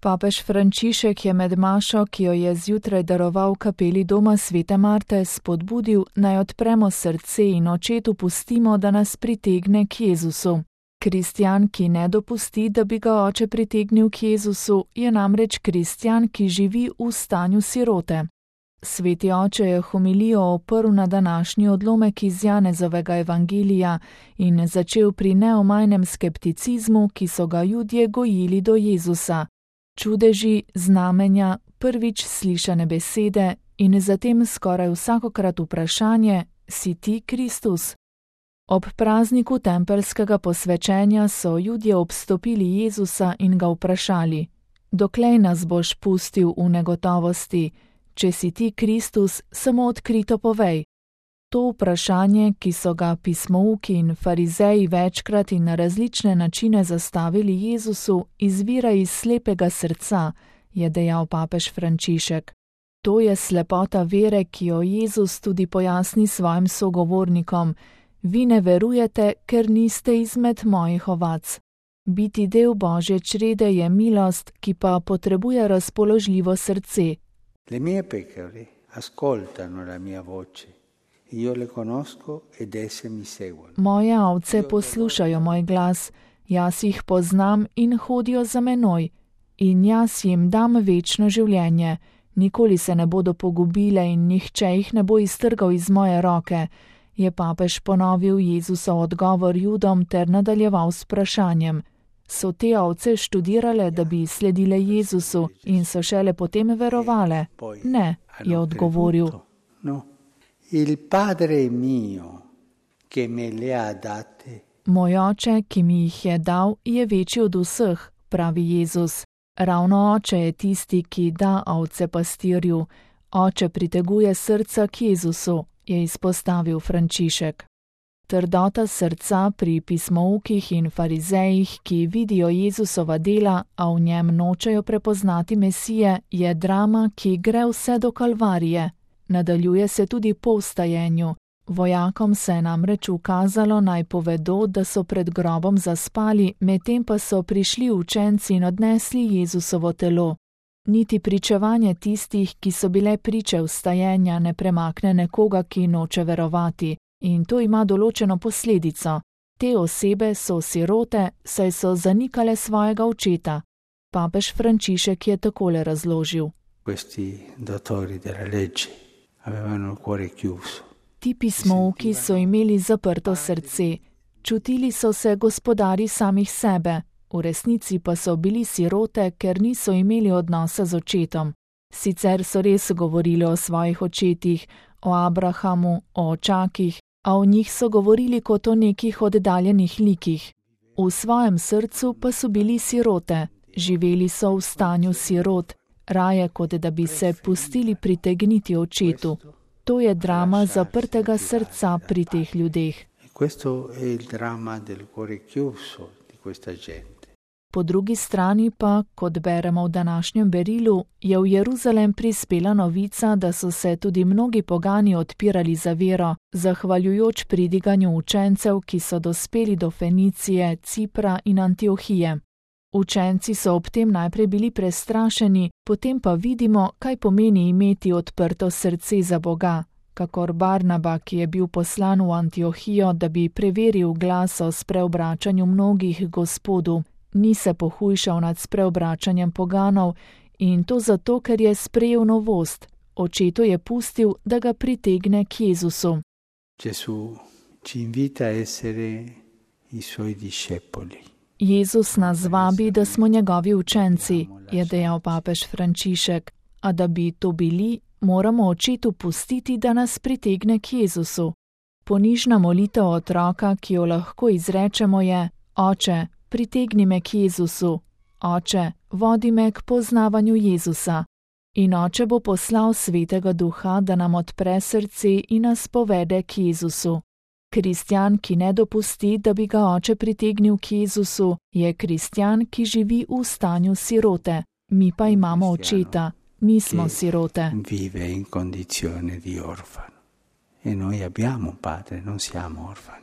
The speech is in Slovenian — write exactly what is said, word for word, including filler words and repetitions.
Papež Frančišek je med mašo, ki jo je zjutraj daroval v kapeli doma svete Marte, spodbudil, naj odpremo srce in očetu pustimo, da nas pritegne k Jezusu. Kristjan, ki ne dopusti, da bi ga oče pritegnil k Jezusu, je namreč kristjan, ki živi v stanju sirote. Sveti oče je homilijo oprl na današnji odlomek iz Janezovega evangelija in začel pri neomajnem skepticizmu, ki so ga Judje gojili do Jezusa. Čudeži, znamenja, prvič slišane besede in zatem skoraj vsakokrat vprašanje: si ti Kristus? Ob prazniku tempeljskega posvečenja so Judje obstopili Jezusa in ga vprašali: doklej nas boš pustil v negotovosti? Če si ti Kristus, samo odkrito povej. To vprašanje, ki so ga pismouki in farizeji večkrat in na različne načine zastavili Jezusu, izvira iz slepega srca, je dejal papež Frančišek. To je slepota vere, ki jo Jezus tudi pojasni svojim sogovornikom. Vi ne verujete, ker niste izmed mojih ovac. Biti del Božje črede je milost, ki pa potrebuje razpoložljivo srce. Le mie pecore ascoltano la mia voce, io le conosco ed esse mi seguono. Moje ovce poslušajo moj glas, jaz jih poznam in hodijo za menoj, in jaz jim dam večno življenje, nikoli se ne bodo pogubile in nihče jih ne bo iztrgal iz moje roke, je papež ponovil Jezusov odgovor Judom ter nadaljeval s vprašanjem. So te ovce študirale, da bi sledile Jezusu in so šele potem verovale? Ne, je odgovoril. No. Il padre mio, che me le ha date. Moj oče, ki mi jih je dal, je večji od vseh, pravi Jezus. Ravno oče je tisti, ki da ovce pastirju. Oče priteguje srca k Jezusu, je izpostavil Frančišek. Trdota srca pri pismoukih in farizejih, ki vidijo Jezusova dela, a v njem nočejo prepoznati Mesije, je drama, ki gre vse do Kalvarije. Nadaljuje se tudi po vstajenju. Vojakom se je namreč ukazalo, naj povedo, da so pred grobom zaspali, medtem pa so prišli učenci in odnesli Jezusovo telo. Niti pričevanje tistih, ki so bile priče vstajenja, ne premakne nekoga, ki noče verovati. In to ima določeno posledico. Te osebe so sirote, saj so zanikale svojega očeta. Papež Frančišek je takole razložil. Ti pismouki so imeli zaprto srce. Čutili so se gospodari samih sebe, v resnici pa so bili sirote, ker niso imeli odnosa z očetom. Sicer so res govorili o svojih očetih, o Abrahamu, o očakih, a o njih so govorili kot o nekih oddaljenih likih. V svojem srcu pa so bili sirote, živeli so v stanju sirot, raje kot da bi se pustili pritegniti očetu. To je drama zaprtega srca pri teh ljudeh. Po drugi strani pa, kot beremo v današnjem berilu, je v Jeruzalem prispela novica, da so se tudi mnogi pogani odpirali za vero, zahvaljujoč pridiganju učencev, ki so dospeli do Fenicije, Cipra in Antiohije. Učenci so ob tem najprej bili prestrašeni, potem pa vidimo, kaj pomeni imeti odprto srce za Boga, kakor Barnaba, ki je bil poslan v Antiohijo, da bi preveril glas o spreobračanju mnogih Gospodu. Ni se pohujšal nad spreobračanjem poganov in to zato, ker je sprejel novost. Očetu je pustil, da ga pritegne k Jezusu. Jezus nas vabi, da smo njegovi učenci, je dejal papež Frančišek, a da bi to bili, moramo očetu pustiti, da nas pritegne k Jezusu. Ponižna molitev otroka, ki jo lahko izrečemo, je: Oče, pritegni me k Jezusu, Oče, vodi me k poznavanju Jezusa. In Oče bo poslal Svetega Duha, da nam odpre srce in nas povede k Jezusu. Kristjan, ki ne dopusti, da bi ga Oče pritegnil k Jezusu, je kristjan, ki živi v stanju sirote. Mi pa imamo očeta, nismo sirote. Vive in condizione di orfano. E noi abbiamo un padre, non siamo orfani.